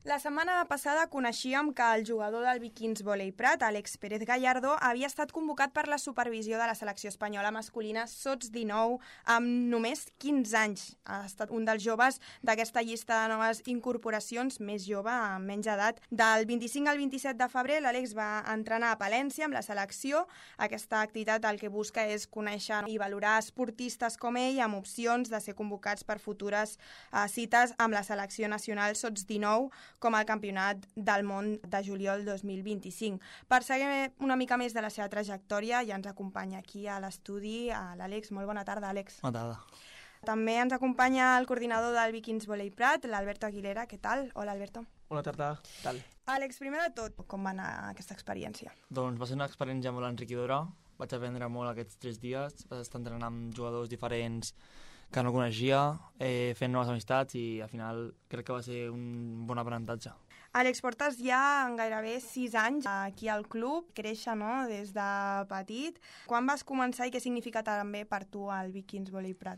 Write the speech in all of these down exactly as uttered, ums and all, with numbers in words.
La setmana passada coneixíem que el jugador del Vikings Volei Prat, Àlex Pérez Gallardo, havia estat convocat per la supervisió de la selecció espanyola masculina sots dinou amb només quinze anys. Ha estat un dels joves d'aquesta llista de noves incorporacions, més jove, amb menys edat. Del vint-i-cinc al vint-i-set de febrer, l'Àlex va entrenar a Palència amb la selecció. Aquesta activitat el que busca és conèixer i valorar esportistes com ell amb opcions de ser convocats per futures uh, cites amb la selecció nacional sots dinou, com el Campionat del Món de juliol dos mil vint-i-cinc. Per saber una mica més de la seva trajectòria, ja ens acompanya aquí a l'estudi l'Àlex. Molt bona tarda, Àlex. Bona tarda. També ens acompanya el coordinador del Vikings Volei Prat, l'Alberto Aguilera. Què tal? Hola, Alberto. Bona tarda, què tal? Àlex, primer de tot, com va anar aquesta experiència? Doncs va ser una experiència molt enriquidora. Vaig aprendre molt aquests tres dies. Vaig estar entrenant amb jugadors diferents que no coneixia, eh, fent noves amistats i al final crec que va ser un bon aprenentatge. Àlex, portes ja gairebé sis anys aquí al club, créixer, no?, des de petit. Quan vas començar i què significa també per tu el Vikings Volei Prat?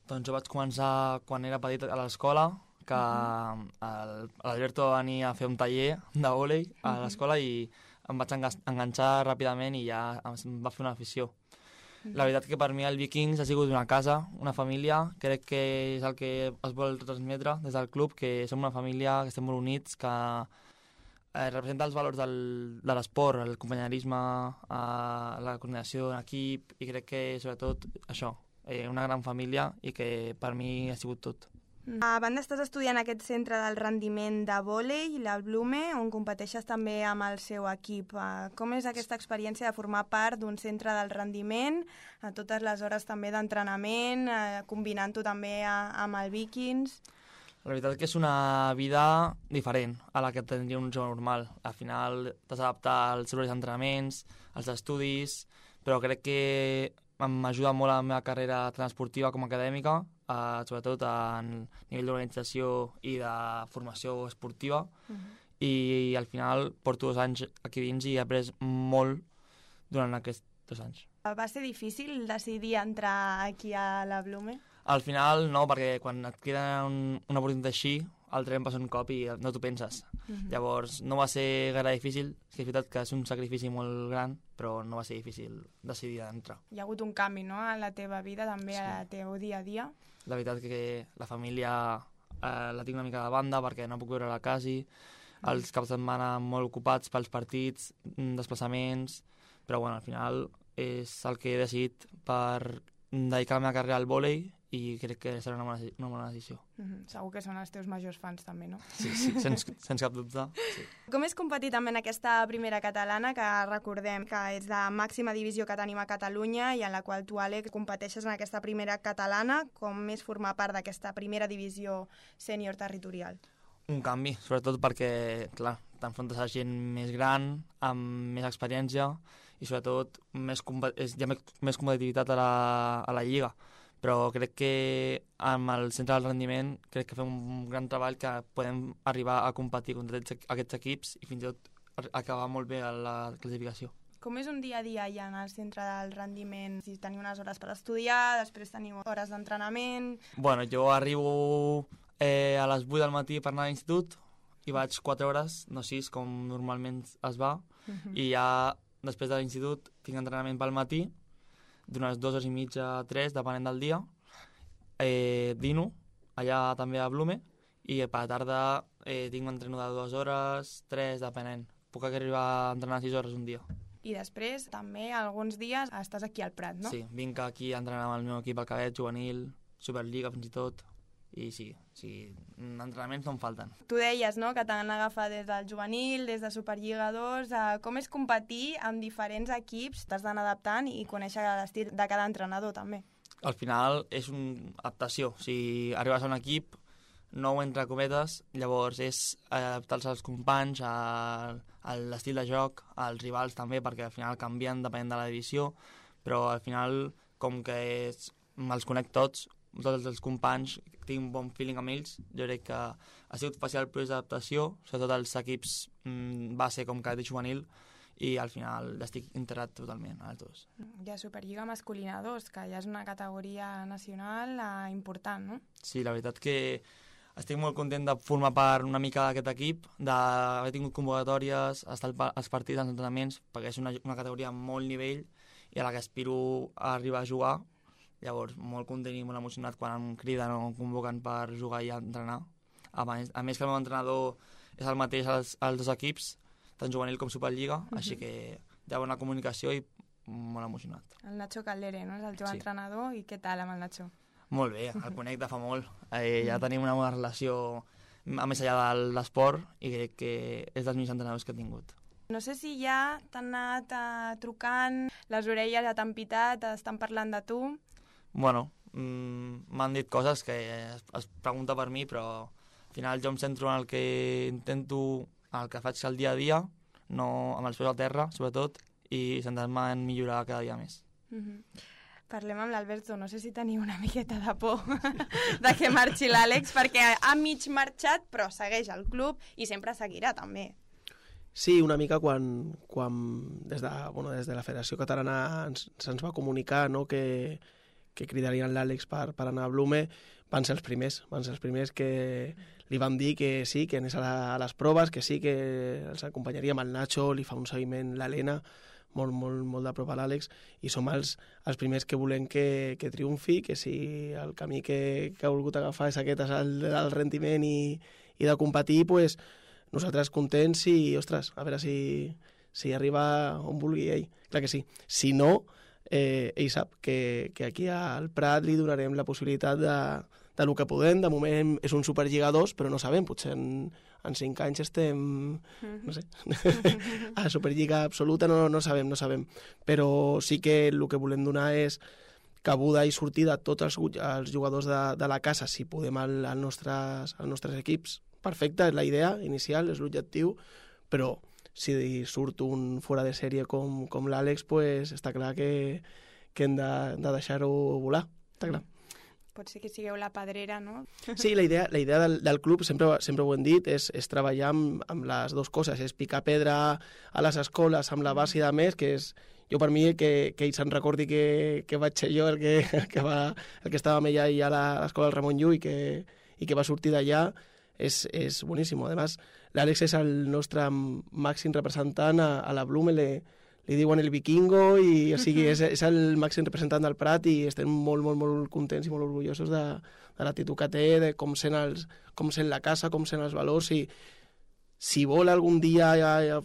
Doncs jo vaig començar quan era petit a l'escola, que uh-huh. l'Alberto va venir a fer un taller de vòlei a uh-huh. l'escola i em vaig enganxar ràpidament i ja em va fer una afició. La veritat que per mi el Vikings ha sigut una casa, una família. Crec que és el que es vol transmetre des del club, que som una família, que estem molt units, que eh, representa els valors del, de l'esport, el companyerisme, eh, la coordinació en equip, i crec que sobretot això, eh, una gran família i que per mi ha sigut tot. A banda estàs estudiant aquest centre del rendiment de vòlei, la Blume, on competeixes també amb el seu equip. Com és aquesta experiència de formar part d'un centre del rendiment, a totes les hores també d'entrenament, combinant-ho també amb el Vikings? La veritat que és una vida diferent a la que tindria un jove normal. Al final t'has d'adaptar als horaris d'entrenaments, als estudis, però crec que m'ajuda molt a la meva carrera tant esportiva com acadèmica, Uh, sobretot a nivell d'organització i de formació esportiva, uh-huh. i al final porto dos anys aquí dins i he après molt durant aquests dos anys. Va ser difícil decidir entrar aquí a la Blume? Al final no, perquè quan et queda un, una oportunitat així, el tren passa un cop i no t'ho penses. Uh-huh. Llavors no va ser gaire difícil, és veritat que és un sacrifici molt gran, però no va ser difícil decidir d'entrar. Hi ha hagut un canvi, no?, a la teva vida, també sí. A la teu dia a dia. La veritat que la família eh, la tinc una mica de banda perquè no puc veure-la quasi, uh-huh. els caps de setmana molt ocupats pels partits, desplaçaments, però bueno, al final és el que he decidit per dedicar la meva carrera al vòlei i crec que serà una bona, una bona decisió. Mm-hmm. Segur que són els teus majors fans també, no? Sí, sí, sense, sense cap dubte. Sí. Com és competir també en aquesta primera catalana, que recordem que és la màxima divisió que tenim a Catalunya i en la qual tu, Àlex, competeixes en aquesta primera catalana, com és formar part d'aquesta primera divisió sènior territorial? Un canvi, sobretot perquè, clar, t'enfrontes a gent més gran, amb més experiència i sobretot més, hi ha més competitivitat a la, a la lliga. Però crec que amb el centre del rendiment crec que fem un gran treball que podem arribar a competir contra aquests equips i fins i tot acabar molt bé a la classificació. Com és un dia a dia allà en el centre del rendiment? Si teniu unes hores per estudiar, després teniu hores d'entrenament... Bueno, jo arribo eh, a les vuit del matí per anar a l'institut i vaig quatre hores, no sis, com normalment es va, uh-huh. i ja després de l'institut tinc entrenament pel matí, d'unes dues hores i mitja a tres, depenent del dia, eh, dino, allà també a Blume, i per la tarda eh, tinc un entreno de dues hores, tres, depenent. Puc arribar a entrenar sis hores un dia. I després, també, alguns dies, estàs aquí al Prat, no? Sí, vinc aquí a entrenar amb el meu equip al cadet, juvenil, Superliga fins i tot, i sí, sí, entrenaments no em falten. Tu deies, no?, que t'han agafat des del juvenil, des de Superliga dos, eh, com és competir amb diferents equips, t'has d'anar adaptant i conèixer l'estil de cada entrenador, també. Al final és una adaptació, si arribes a un equip nou entre cometes, llavors és adaptar-se als companys, a, a l'estil de joc, als rivals també, perquè al final canvien depenent de la divisió, però al final, com que és, els conec tots, tots els companys, tinc un bon feeling amb ells, jo crec que ha sigut fàcil el procés d'adaptació, sobretot els equips mm, base com cadet i juvenil, i al final estic integrat totalment als dos. Hi ha Superliga masculina dos, que ja és una categoria nacional eh, important, no? Sí, la veritat que estic molt content de formar part una mica d'aquest equip, d'haver tingut convocatòries, estar als partits, als entrenaments, perquè és una, una categoria amb molt nivell i a la que aspiro a arribar a jugar. Llavors, molt content i molt emocionat quan em criden o em convoquen per jugar i entrenar. A més, a més que el meu entrenador és el mateix als, als dos equips, tant juvenil com Superliga, uh-huh. així que hi ha bona comunicació i molt emocionat. El Nacho Caldere, no? És el teu sí. entrenador, i què tal amb el Nacho? Molt bé, el conec de fa molt. Eh, ja tenim una bona relació a més allà de l'esport i crec que és dels millors entrenadors que he tingut. No sé si ja t'han anat uh, trucant, les orelles ja t'han pitat, estan parlant de tu. Bueno, mm, m'han dit coses que es, es pregunta per mi, però al final jo em centro en el que intento, en el que faig el dia a dia, no amb els peus a terra, sobretot, i centrar-me en millorar cada dia més. Mm-hmm. Parlem amb l'Alberto, no sé si teniu una miqueta de por de que marxi l'Àlex, perquè ha mig marxat, però segueix al club i sempre seguirà, també. Sí, una mica quan, quan des, de, bueno, des de la Federació Catalana ens, se'ns va comunicar, no, que, que cridarien l'Àlex per, per anar a Blume, van ser els primers, van ser els primers que li van dir que sí, que anés a, la, a les proves, que sí, que els acompanyaríem el Nacho, li fa un seguiment l'Helena, molt, molt, molt de prop a l'Àlex, i som els, els primers que volem que, que triomfi, que si el camí que, que ha volgut agafar és aquest, és el del rendiment i, i de competir, pues, nosaltres contents i, ostres, a veure si, si arriba on vulgui ell. Clar que sí. Si no, eh, ell sap que, que aquí al Prat li donarem la possibilitat de, de lo que podem. De moment és un Superliga dos, però no sabem, potser en, en cinc anys estem, no sé, a Superliga absoluta, no, no sabem, no sabem. Però sí que el que volem donar és cabuda i sortida a tots els, els jugadors de, de la casa, si podem, als al nostres, als nostres equips. Perfecte, és la idea inicial, és l'objectiu, però si surt un fora de sèrie com, com l'Àlex, pues, està clar que, que hem de, de deixar-ho volar, està clar. Pot ser que sigueu la pedrera, no? Sí, la idea, la idea del, del club, sempre, sempre ho hem dit, és, és treballar amb, amb les dues coses, és picar pedra a les escoles amb la base de més, que és, jo per mi, que, que ell se'n recordi que, que vaig ser jo el que, el que, va, el que estava amb ella i a l'escola del Ramon Llull i que, i que va sortir d'allà, és, és boníssim. A més, l'Àlex és el nostre màxim representant a, a la Blume, le, li diuen el vikingo, i o sigui, és, és el màxim representant del Prat, i estem molt, molt, molt contents i molt orgullosos de, de l'actitud que té, de com sent, els, com sent la casa, com sent els valors, i si vol algun dia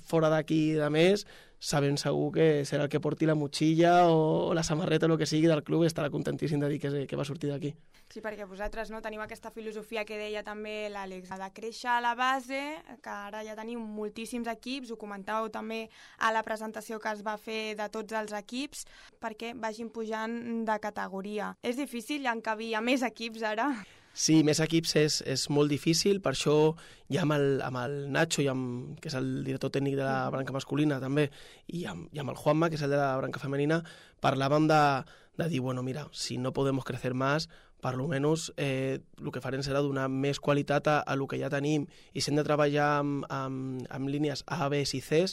fora d'aquí de més, sabem segur que serà el que porti la motxilla o, o la samarreta o el que sigui del club, i estarà contentíssim de dir que, que va sortir d'aquí. Sí, perquè vosaltres, no, teniu aquesta filosofia que deia també l'Àlex, de créixer a la base, que ara ja teniu moltíssims equips, ho comentàveu també a la presentació que es va fer de tots els equips, perquè vagin pujant de categoria. És difícil encabir a més equips ara? Sí, més equips és, és molt difícil, per això ja amb el, amb el Nacho, i amb, que és el director tècnic de la branca masculina també, i amb, i amb el Juanma, que és el de la branca femenina, parlàvem de, de dir, bueno, mira, si no podemos crecer más, per lo menos eh, el que farem serà donar més qualitat a, a lo que ja tenim, i si hem de treballar amb, amb, amb línies A, B i C,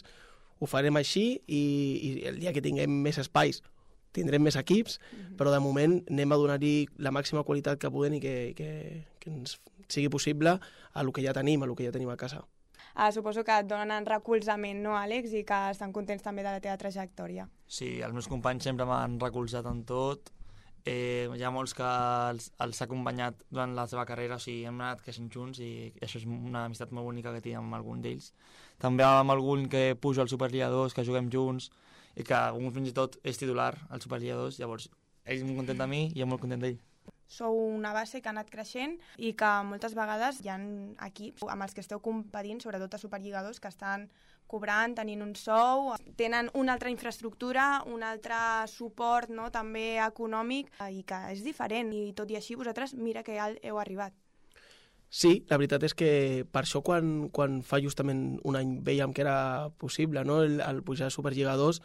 ho farem així, i, i el dia que tinguem més espais tindrem més equips, mm-hmm. però de moment anem a donar-hi la màxima qualitat que podem i que, que, que ens sigui possible a lo que ja tenim, a lo que ja tenim a casa. Ah, suposo que et donen recolzament, no, Àlex, i que estan contents també de la teva trajectòria. Sí, els meus companys sempre m'han recolzat en tot. Eh, hi ha molts que els, els ha acompanyat durant la seva carrera, o sigui, hem anat creixent junts, i això és una amistat molt bonica que tinc amb algun d'ells. També amb algun que pujo al Superliga dos, que juguem junts, i que un fins i tot és titular al Superliga dos, llavors ell és molt content de mi i jo molt content d'ell. Sou una base que ha anat creixent i que moltes vegades hi ha equips amb els que esteu competint, sobretot a Superliga dos, que estan cobrant, tenint un sou, tenen una altra infraestructura, un altre suport, no, també econòmic, i que és diferent, i tot i així vosaltres mira que heu arribat. Sí, la veritat és que per això quan, quan fa justament un any veiem que era possible, no, el, el pujar a Superliga dos,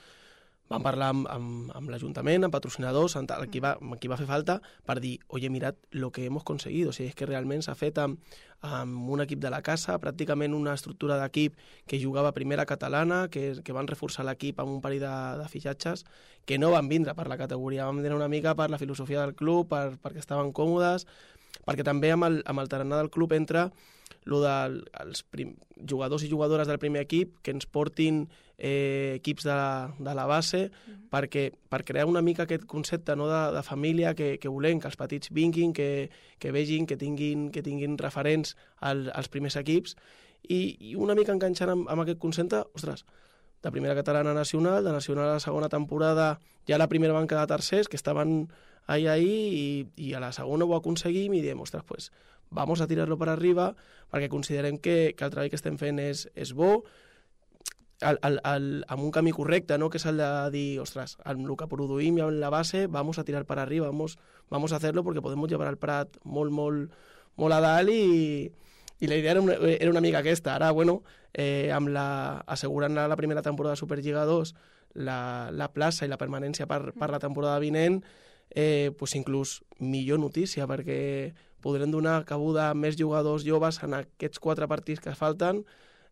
vam parlar amb, amb, amb l'Ajuntament, amb patrocinadors, amb qui va, amb qui va fer falta, per dir, oye, mirad lo que hemos conseguido. O sigui, és que realment s'ha fet amb, amb un equip de la casa, pràcticament una estructura d'equip que jugava a primera catalana, que, que van reforçar l'equip amb un parell de, de fitxatges, que no van vindre per la categoria, van vindre una mica per la filosofia del club, per, perquè estaven còmodes, perquè també amb el, amb el tarannà del club entra lo dels prim, jugadors i jugadores del primer equip que ens portin eh, equips de la, de la base mm. perquè, per crear una mica aquest concepte, no, de, de família que, que volem, que els petits vinguin, que, que vegin, que tinguin, que tinguin referents al, als primers equips i, i una mica enganxant amb, amb aquest concepte, ostres, de primera catalana a nacional, de nacional a la segona temporada, ja la primera van quedar tercers, que estaven ahí, ahí, i, i a la segona ho aconseguim i diem, ostres, pues, vamos a tirarlo per arriba, perquè considerem que, que el treball que estem fent és, és bo, al, al, al, amb un camí correcte, no? Que és el de dir, ostres, amb el que produïm i amb la base, vamos a tirar per arriba, vamos, vamos a hacerlo porque podemos llevar el Prat molt, molt, molt a dalt i, i la idea era una, era una mica aquesta. Ara, bueno, eh, amb la, assegurant la primera temporada de Superliga dos, la, la plaça i la permanència per, per la temporada vinent, eh, pues inclús millor notícia, perquè podrem donar cabuda a més jugadors joves en aquests quatre partits que falten,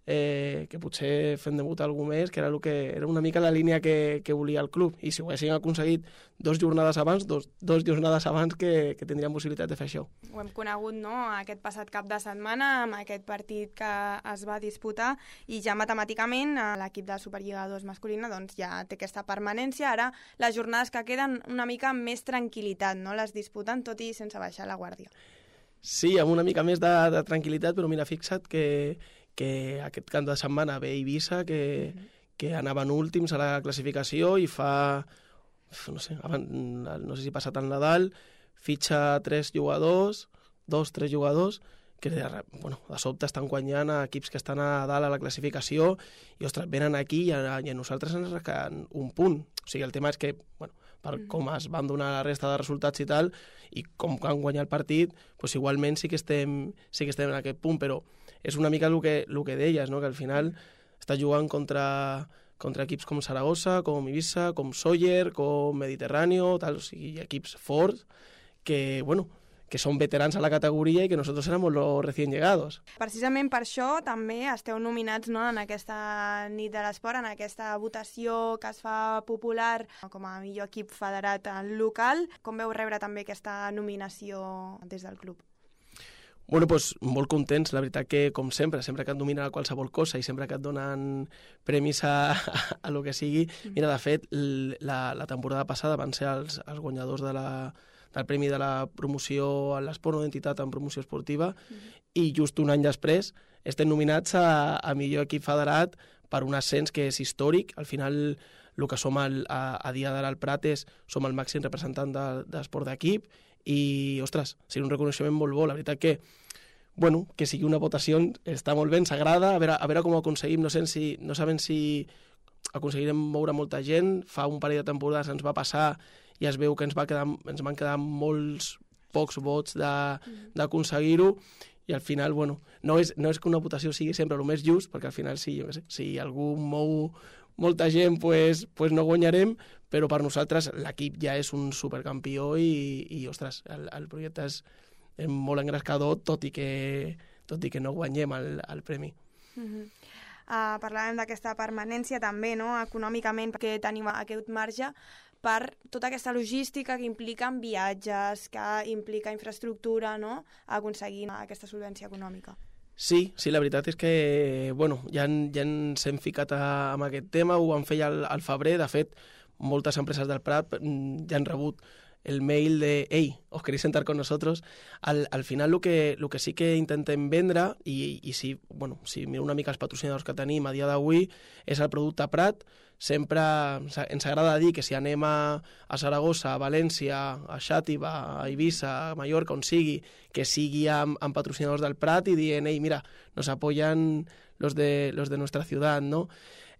eh, que potser fem debutar algú més, que era, el que, era una mica la línia que, que volia el club. I si ho haguessin aconseguit dos jornades abans, dos, dos jornades abans que, que tindríem possibilitat de fer això. Ho hem conegut, no?, aquest passat cap de setmana, amb aquest partit que es va disputar, i ja matemàticament l'equip de Superliga dos masculina doncs, ja té aquesta permanència. Ara les jornades que queden una mica amb més tranquil·litat, no?, les disputen tot i sense baixar la guàrdia. Sí, amb una mica més de, de tranquil·litat, però mira, fixa't que, que aquest cap de setmana ve Eivissa, que, mm-hmm. que anaven últims a la classificació i fa, no sé, no sé si passat el Nadal, fitxa tres jugadors, dos, tres jugadors, que bueno, de sobte estan guanyant a equips que estan a dalt a la classificació i, ostres, venen aquí i a, i a nosaltres ens rasquen un punt. O sigui, el tema és que, bueno, per com es van donar la resta de resultats i tal, i com han guanyat el partit, doncs igualment sí que estem, sí que estem en aquest punt, però és una mica el que, el que deies, no? Que al final està jugant contra, contra equips com Saragossa, com Eivissa, com Sóller, com Mediterráneo, tal, o sigui, equips forts que, bueno, que són veterans a la categoria i que nosaltres éramos los recién llegados. Precisament per això també esteu nominats, no?, en aquesta nit de l'esport, en aquesta votació que es fa popular com a millor equip federat local. Com veu rebre també aquesta nominació des del club? Bueno, doncs molt contents, la veritat que, com sempre, sempre que et domina qualsevol cosa i sempre que et donen premis a, a, a lo que sigui. Mira, de fet, la, la temporada passada van ser els, els guanyadors de la del Premi de la Promoció a l'Esport no d'Entitat en Promoció Esportiva, mm-hmm. i just un any després estem nominats a, a millor equip federat per un ascens que és històric. Al final, el que som el, a, a dia d'ara al Prat és som el màxim representant de, d'esport d'equip i, ostres, seria un reconeixement molt bo. La veritat que, bueno, que sigui una votació està molt ben, s'agrada, a veure, a veure com ho aconseguim. No, sé si, no sabem si aconseguirem moure molta gent. Fa un parell de temporades ens va passar i es veu que ens, va quedar, ens van quedar molts pocs vots d'aconseguir-ho, i al final, bueno, no és, no és que una votació sigui sempre el més just, perquè al final, sí, jo què sé, si algú mou molta gent, pues, pues no guanyarem, però per nosaltres l'equip ja és un supercampió i, i ostres, el, el projecte és, és molt engrescador, tot i que, tot i que no guanyem el, el premi. Mm-hmm. Uh, parlàvem d'aquesta permanència també, no?, econòmicament, perquè tenim aquest marge per tota aquesta logística que implica viatges, que implica infraestructura, no?, aconseguir aquesta solvència econòmica. Sí, sí, la veritat és que, bueno, ja, ja ens hem ficat a, amb aquest tema, ho vam fer ja al, al febrer. De fet, moltes empreses del Prat ja han rebut el mail de «Ei, ¿os queréis sentar con nosotros?» Al, al final, el que, el que sí que intentem vendre, i, i si, bueno, si miro una mica els patrocinadors que tenim a dia d'avui, és el producte Prat. Sempre ens agrada dir que si anem a, a Saragossa, a València, a Xàtiva, a Eivissa, a Mallorca, on sigui, que sigui amb, amb patrocinadors del Prat i dient, ei, mira, nos apoyan los de, los de nuestra ciutat, no?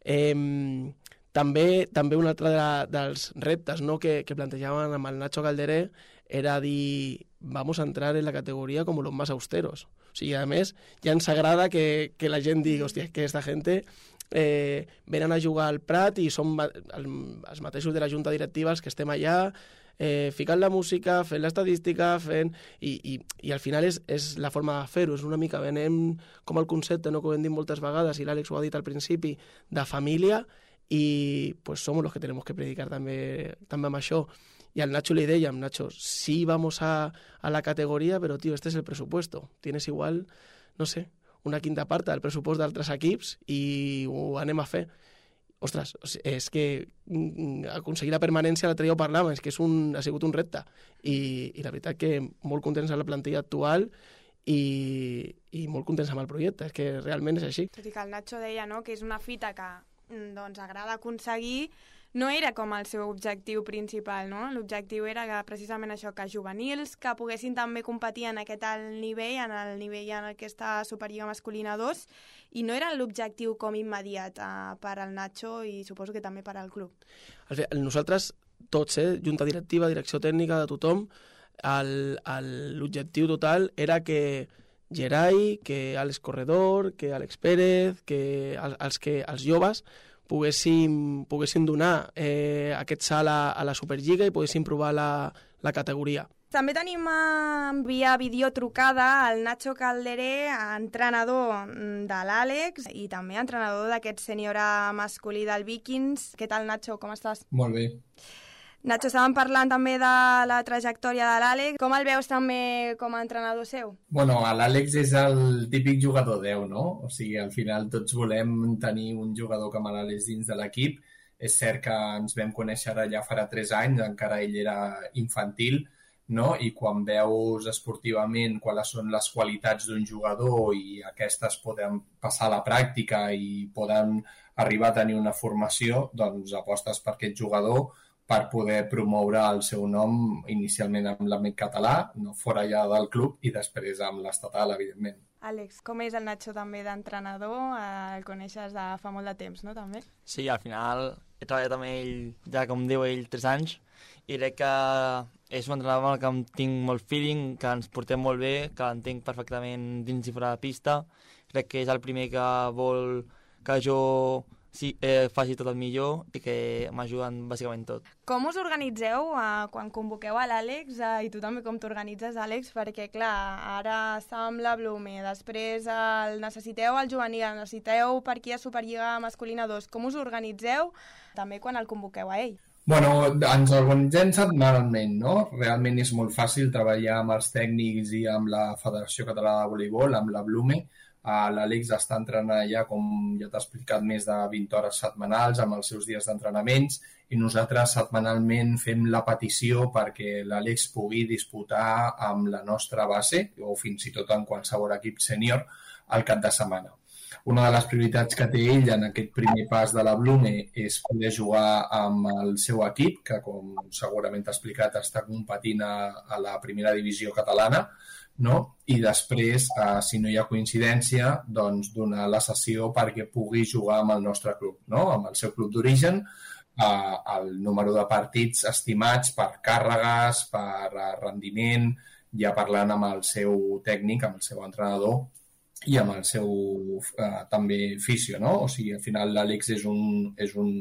Eh, també, també un altre de, dels reptes, no?, que, que plantejaven amb el Nacho Calderé era dir, vamos a entrar en la categoria com los más austeros. O sigui, a més, ja ens agrada que, que la gent digui, hòstia, que esta gente eh, venen a jugar al Prat i som el, els mateixos de la junta directiva els que estem allà, eh, ficant la música, fent l'estadística, fent... I, i, i al final és, és la forma de fer-ho, és una mica, venem com el concepte, no?, que ho hem dit moltes vegades, i l'Àlex ho ha dit al principi, de família, i pues somos los que tenemos que predicar també, també amb això. Y al Nacho le dèiem, Nacho, sí vamos a, a la categoría, pero tío, este es el presupuesto. Tienes igual, no sé, una quinta part del pressupost d'altres equips i ho anem a fer. Ostres, és que aconseguir la permanència, l'altre dia ho parlàvem, és que és un, ha sigut un repte. I, i la veritat que molt contents amb la plantilla actual i, i molt contents amb el projecte, és que realment és així. Tot i que el Nacho deia, no?, que és una fita que doncs, agrada aconseguir, no era com el seu objectiu principal, no? L'objectiu era que precisament això, que juvenils que poguessin també competir en aquest alt nivell, en el nivell en el que està Superliga masculina dos, i no era l'objectiu com immediat eh, per al Nacho i suposo que també per al club. Nosaltres tots, eh, junta directiva, direcció tècnica, de tothom, l'objectiu total era que Gerai, que Àlex Corredor, que Àlex Pérez, que els, que els joves poguéssim, poguéssim donar eh, aquest salt a, a la Superliga i poguéssim provar la, la categoria. També tenim eh, via videotrucada el Nacho Calderé, entrenador de l'Àlex i també entrenador d'aquest sènior masculí del Vikings. Què tal, Nacho? Com estàs? Molt bé. Nacho, estàvem parlant també de la trajectòria de l'Àlex. Com el veus també com a entrenador seu? Bueno, l'Àlex és el típic jugador deu, no? O sigui, al final tots volem tenir un jugador com l'Àlex dins de l'equip. És cert que ens vam conèixer ja farà tres anys, encara ell era infantil, no? I quan veus esportivament quales són les qualitats d'un jugador i aquestes poden passar a la pràctica i poden arribar a tenir una formació, doncs apostes per aquest jugador per poder promoure el seu nom inicialment amb l'àmbit català, no fora ja del club, i després amb l'estatal, evidentment. Àlex, com és el Nacho també d'entrenador? El coneixes de fa molt de temps, no, també? Sí, al final he treballat amb ell, ja com diu ell, tres anys, i crec que és un entrenador amb el que em tinc molt feeling, que ens portem molt bé, que l'entenc perfectament dins i fora de pista. Crec que és el primer que vol que jo sí, eh, faci tot el millor i que m'ajuden bàsicament tot. Com us organitzeu eh, quan convoqueu a l'Àlex eh, i tu també com t'organitzes, Àlex? Perquè, clar, ara està amb la Blume, després el necessiteu al juvenil, el necessiteu per aquí a Superliga masculina dos. Com us organitzeu també quan el convoqueu a ell? Bueno, ens organitzem setmanalment, no? Realment és molt fàcil treballar amb els tècnics i amb la Federació Catalana de Voleibol, amb la Blume. L'Àlex està entrenant ja, com ja t'ha explicat, més de vint hores setmanals amb els seus dies d'entrenaments i nosaltres setmanalment fem la petició perquè l'Àlex pugui disputar amb la nostra base o fins i tot en qualsevol equip sènior al cap de setmana. Una de les prioritats que té ell en aquest primer pas de la Blume és poder jugar amb el seu equip, que com segurament t'ha explicat està competint a, a la primera divisió catalana, no? I després, eh, si no hi ha coincidència, doncs donar la sessió perquè pugui jugar amb el nostre club, no? Amb el seu club d'origen, eh, el número de partits estimats per càrregues, per eh, rendiment, ja parlant amb el seu tècnic, amb el seu entrenador i amb el seu eh, també fisio, no? O sigui, al final l'Àlex és un, és un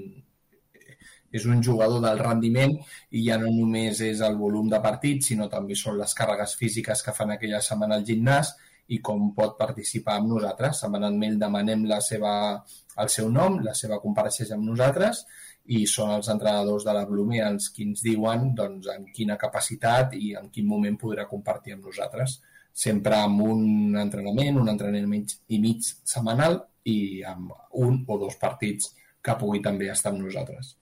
és un jugador del rendiment i ja no només és el volum de partits, sinó també són les càrregues físiques que fan aquella setmana al gimnàs i com pot participar amb nosaltres. Setmanalment demanem la seva, el seu nom, la seva compareixença amb nosaltres i són els entrenadors de la Blume els qui ens diuen doncs, en quina capacitat i en quin moment podrà compartir amb nosaltres. Sempre amb un entrenament, un entrenament i mig setmanal i amb un o dos partits que pugui també estar amb nosaltres.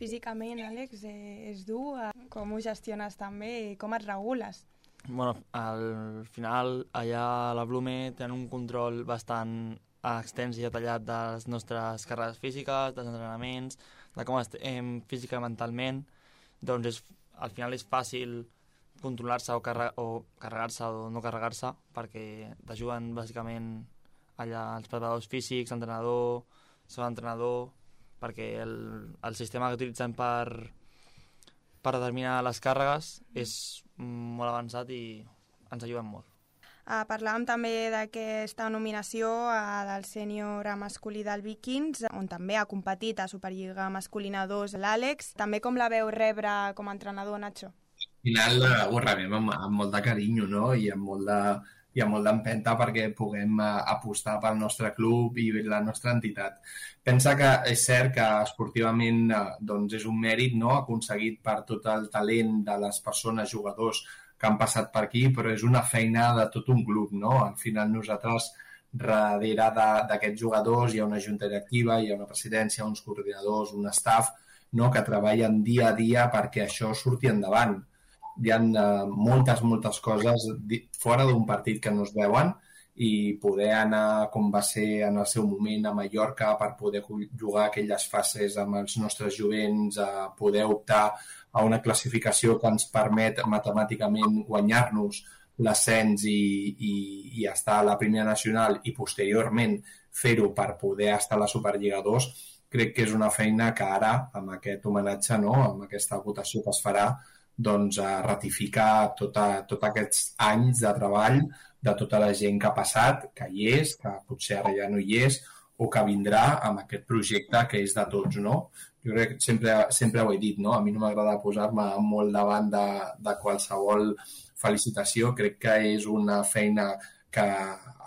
Físicament, Àlex, és dur? Com ho gestiones també i com et regules? Bueno, al final, allà a la Blume tenen un control bastant extens i detallat de les nostres carreres físiques, dels entrenaments, de com estem física i mentalment. Doncs és, al final és fàcil controlar-se o, carre o carregar-se o no carregar-se perquè t'ajuden bàsicament allà els preparadors físics, l'entrenador, l'entrenador, perquè el, el sistema que utilitzen per, per determinar les càrregues és molt avançat i ens ajuden molt. Uh, parlàvem també d'aquesta nominació uh, del sènior masculí del Vikings, on també ha competit a Superliga masculina dos l'Àlex. També com la veu rebre com a entrenador, Nacho? Al final ho rebem amb, amb molt de carinyo, no? I amb molt de, hi ha molt d'empenta perquè puguem uh, apostar pel nostre club i la nostra entitat. Pensa que és cert que esportivament uh, doncs és un mèrit, no?, aconseguit per tot el talent de les persones, jugadors que han passat per aquí, però és una feina de tot un club, no? Al final nosaltres, darrere d'aquests jugadors, hi ha una junta directiva, hi ha una presidència, uns coordinadors, un staff, no?, que treballen dia a dia perquè això surti endavant. Hi ha uh, moltes, moltes coses fora d'un partit que no es veuen i poder anar, com va ser en el seu moment a Mallorca, per poder jugar aquelles fases amb els nostres jovents, a poder optar a una classificació que ens permet matemàticament guanyar-nos l'ascens i, i, i estar a la primera nacional i posteriorment fer-ho per poder estar a la Superliga dos, crec que és una feina que ara, amb aquest homenatge, no?, amb aquesta votació que es farà, doncs a ratificar tota, tots aquests anys de treball de tota la gent que ha passat, que hi és, que potser ara ja no hi és, o que vindrà amb aquest projecte que és de tots, no? Jo crec que sempre, sempre ho he dit, no? A mi no m'agrada posar-me molt davant de, de qualsevol felicitació. Crec que és una feina que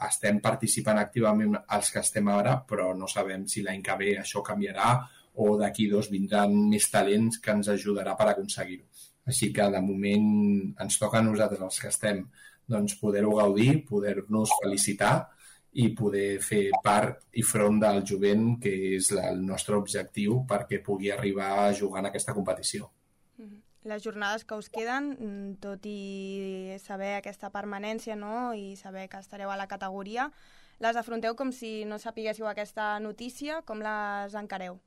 estem participant activament els que estem ara, però no sabem si l'any que ve això canviarà o d'aquí dos vindran més talents que ens ajudarà per aconseguir-ho. Així que, de moment, ens toca a nosaltres, els que estem, doncs, poder-ho gaudir, poder-nos felicitar i poder fer part i front del jovent, que és el nostre objectiu perquè pugui arribar a jugar en aquesta competició. Les jornades que us queden, tot i saber aquesta permanència, no?, i saber que estareu a la categoria, les afronteu com si no sapiguéssiu aquesta notícia, com les encareu?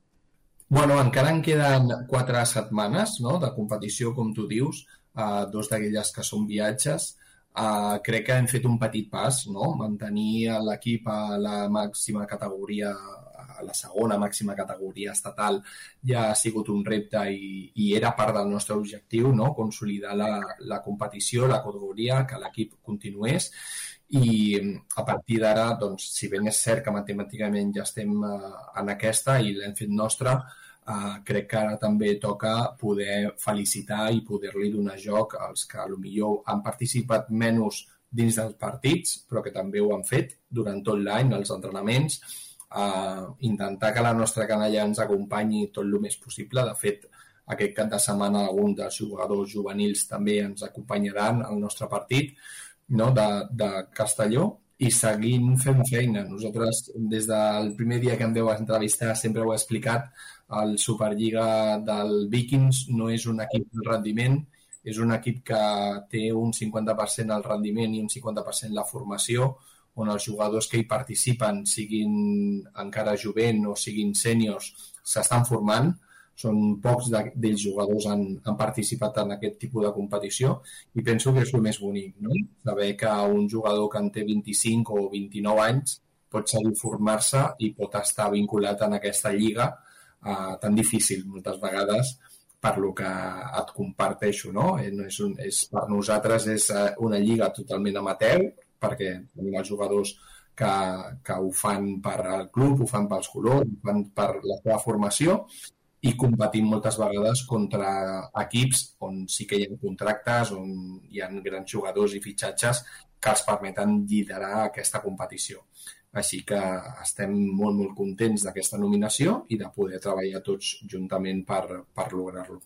Bueno, encara en queden quatre setmanes, no?, de competició, com tu dius, uh, dos d'aquelles que són viatges. Uh, crec que hem fet un petit pas, no?, mantenir l'equip a la màxima categoria, a la segona màxima categoria estatal, ja ha sigut un repte i, i era part del nostre objectiu, no?, consolidar la, la competició, la categoria, que l'equip continués. I a partir d'ara, doncs, si ben és cert que matemàticament ja estem uh, en aquesta i l'hem fet nostra, uh, crec que ara també toca poder felicitar i poder-li donar joc als que potser han participat menys dins dels partits, però que també ho han fet durant tot l'any, els entrenaments, uh, intentar que la nostra canalla ens acompanyi tot el més possible. De fet, aquest cap de setmana alguns dels jugadors juvenils també ens acompanyaran al nostre partit, no?, de, de Castelló, i seguint fent feina. Nosaltres, des del primer dia que em veu entrevistar, sempre ho he explicat, el Superliga del Vikings no és un equip de rendiment, és un equip que té un cinquanta per cent el rendiment i un cinquanta per cent la formació, on els jugadors que hi participen, siguin encara jovent o siguin sèniors, s'estan formant. Són pocs d'ells jugadors han, han participat en aquest tipus de competició i penso que és el més bonic, no? Saber que un jugador que en té vint-i-cinc o vint-i-nou anys pot seguir formar-se i pot estar vinculat en aquesta lliga eh, tan difícil moltes vegades per lo que et comparteixo, no? No és un, és, per nosaltres és una lliga totalment amateur perquè tenim els jugadors que, que ho fan per al club, ho fan pels colors, ho fan per la seva formació i competim moltes vegades contra equips on sí que hi ha contractes, on hi ha grans jugadors i fitxatges que els permeten liderar aquesta competició. Així que estem molt, molt contents d'aquesta nominació i de poder treballar tots juntament per, per lograr-lo.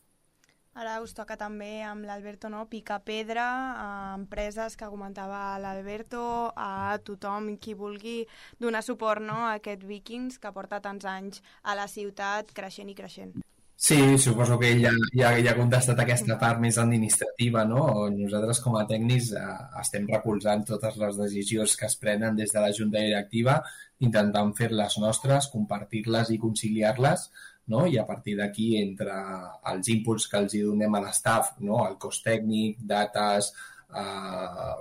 Ara us toca també amb l'Alberto, no?, picar pedra a empreses que comentava l'Alberto, a tothom qui vulgui donar suport, no?, a aquest Vikings que porta tants anys a la ciutat creixent i creixent. Sí, suposo que ja, ja, ja ha contestat aquesta part més administrativa, no? Nosaltres com a tècnics eh, estem recolzant totes les decisions que es prenen des de la junta directiva, intentant fer-les nostres, compartir-les i conciliar-les, no? I a partir d'aquí, entre els inputs que els hi donem a l'estaf, no? El cos tècnic, dates, eh,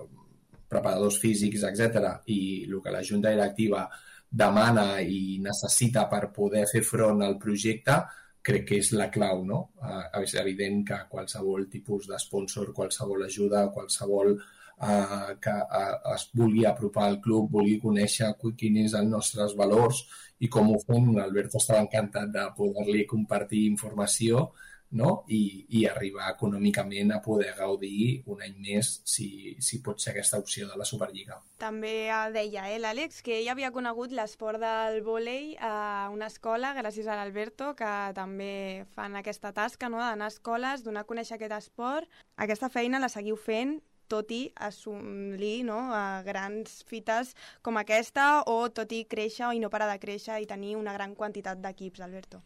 preparadors físics, etcètera, i el que la junta directiva demana i necessita per poder fer front al projecte, crec que és la clau, no? Eh, és evident que qualsevol tipus d'esponsor, qualsevol ajuda, qualsevol eh, que eh, es vulgui apropar al club, vulgui conèixer quins són els nostres valors i com ho fem. L'Alberto estava encantat de poder-li compartir informació no? I, i arribar econòmicament a poder gaudir un any més si, si pot ser aquesta opció de la Superliga. També deia eh, l'Àlex que ell havia conegut l'esport del vòlei a una escola gràcies a l'Alberto, que també fan aquesta tasca, no?, d'anar a escoles, donar a conèixer aquest esport. Aquesta feina la seguiu fent tot i assolir, no?, a grans fites com aquesta, o tot i créixer i no parar de créixer i tenir una gran quantitat d'equips, Alberto.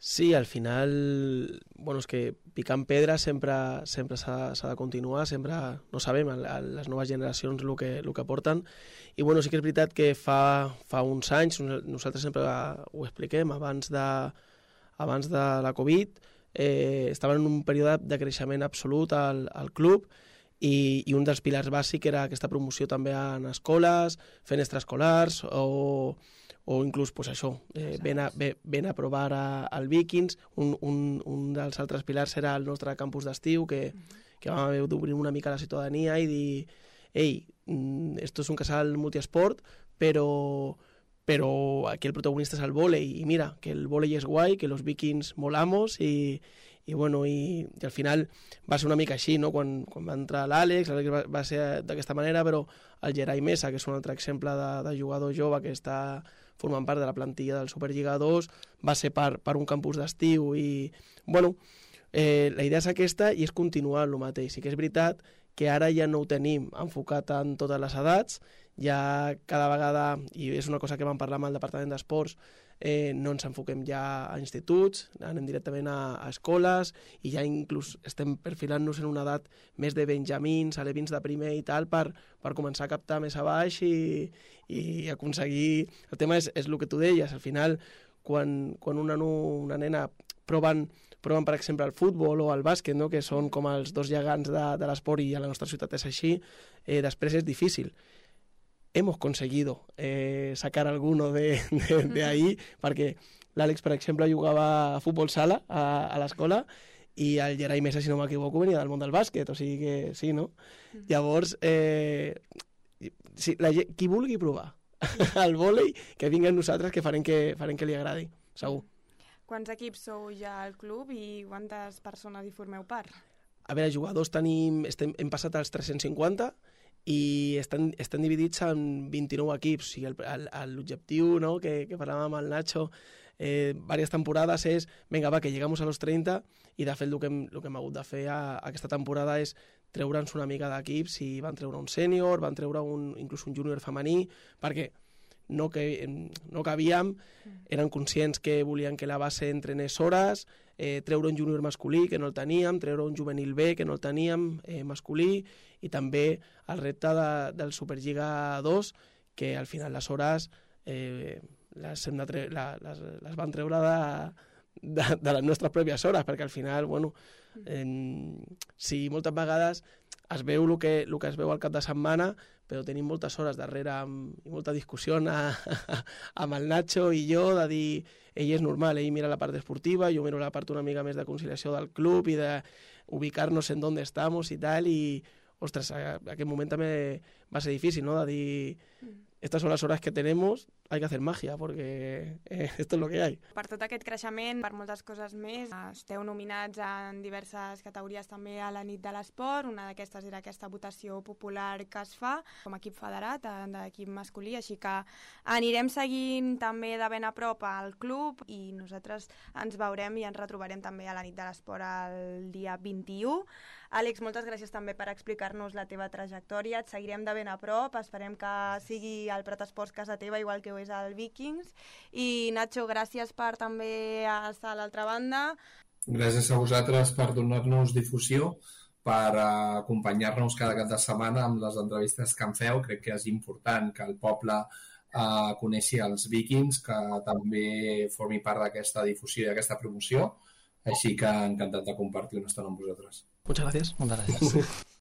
Sí, al final, bueno, és que picant pedra sempre sempre s'ha de continuar, sempre, no sabem, a, a les noves generacions el que, el que porten, i bueno, sí que és veritat que fa, fa uns anys, nosaltres sempre ho expliquem, abans de, abans de la Covid, eh, estaven en un període de creixement absolut al, al club, i, i un dels pilars bàsics era aquesta promoció també en escoles, fent extraescolars, o... o inclús pues, això, eh, ven, a, ven a provar a, al Vikings. Un, un, un dels altres pilars era el nostre campus d'estiu, que, que vam haver d'obrir una mica la ciutadania i dir, ei, esto es un casal multiesport, però, però aquí el protagonista és el vòlei, i mira, que el vòlei és guai, que los Vikings molamos, i, i, bueno, i, i al final va ser una mica així, no? Quan, quan va entrar l'Àlex, l'Àlex va, va ser d'aquesta manera, però el Gerai Mesa, que és un altre exemple de, de jugador jove que està formant part de la plantilla del Superliga dos, va ser per, per un campus d'estiu i, bueno, eh, la idea és aquesta i és continuar el mateix. Sí que és veritat que ara ja no ho tenim enfocat en totes les edats, ja cada vegada, i és una cosa que vam parlar amb el Departament d'Esports, eh, no ens enfoquem ja a instituts, anem directament a, a escoles, i ja inclús estem perfilant-nos en una edat més de benjamins, alevins de primer i tal, per, per començar a captar més a baix i, i aconseguir... El tema és, és el que tu deies, al final, quan, quan una, una nena proven, proven, per exemple, el futbol o el bàsquet, no?, que són com els dos gegants de, de l'esport i a la nostra ciutat és així, eh, després és difícil. Hemos conseguido eh, sacar alguno de, de, de ahí, perquè l'Àlex, per exemple, jugava a futbol sala a, a l'escola i el Gerai Mesa, si no m'equivoco, venia del món del bàsquet, o sigui que sí, no? Mm. Llavors, eh, si, la, qui vulgui provar el vòlei, que vingui amb nosaltres, que farem que, farem que li agradi, segur. Quants equips sou ja al club i quantes persones hi formeu part? A veure, jugadors tenim, estem, hem passat als tres-cents cinquanta, i estan, estan dividits en vint-i-nou equips. O sigui, l'objectiu, no?, que, que parlàvem amb el Nacho eh, diverses temporades és, vinga, va, que llegamos a los treinta, i de fet el que hem, el que hem hagut de fer a, a aquesta temporada és treure'ns una mica d'equips, i van treure un sènior, van treure un, inclús un júnior femení, perquè no, que, no cabíem, eren conscients que volien que la base entrenés hores, eh, treure un júnior masculí, que no el teníem, treure un juvenil B, que no el teníem, eh, masculí, i també el repte de, del Superliga dos, que al final les hores eh, les, hem de tre la, les, les van treure de, de, de les nostres pròpies hores, perquè al final, bueno, eh, sí, moltes vegades es veu el que, el que es veu al cap de setmana, però tenim moltes hores darrere amb, i molta discussió a, a, amb el Nacho i jo, de dir, ell és normal, ell mira la part esportiva, jo miro la part una mica més de conciliació del club i de ubicar-nos en on estamos i tal, i ostres, a, a aquest moment també va ser difícil, ¿no?, de dir, estas son las horas que tenemos, hay que hacer magia, porque eh, esto es lo que hay. Per tot aquest creixement, per moltes coses més, esteu nominats en diverses categories també a la nit de l'esport. Una d'aquestes era aquesta votació popular que es fa com a equip federat, d'equip masculí, així que anirem seguint també de ben a prop al club i nosaltres ens veurem i ens retrobarem també a la nit de l'esport el dia vint-i-u. Àlex, moltes gràcies també per explicar-nos la teva trajectòria. Et seguirem de ben a prop, esperem que sigui el Prat Esports casa teva, igual que ho és el Vikings. I Nacho, gràcies per també estar a l'altra banda. Gràcies a vosaltres per donar-nos difusió, per acompanyar-nos cada cap de setmana amb les entrevistes que em feu. Crec que és important que el poble eh, coneixi els Vikings, que també formi part d'aquesta difusió i d'aquesta promoció. Així que encantat de compartir una estona amb vosaltres. Muchas gracias. Muchas gracias.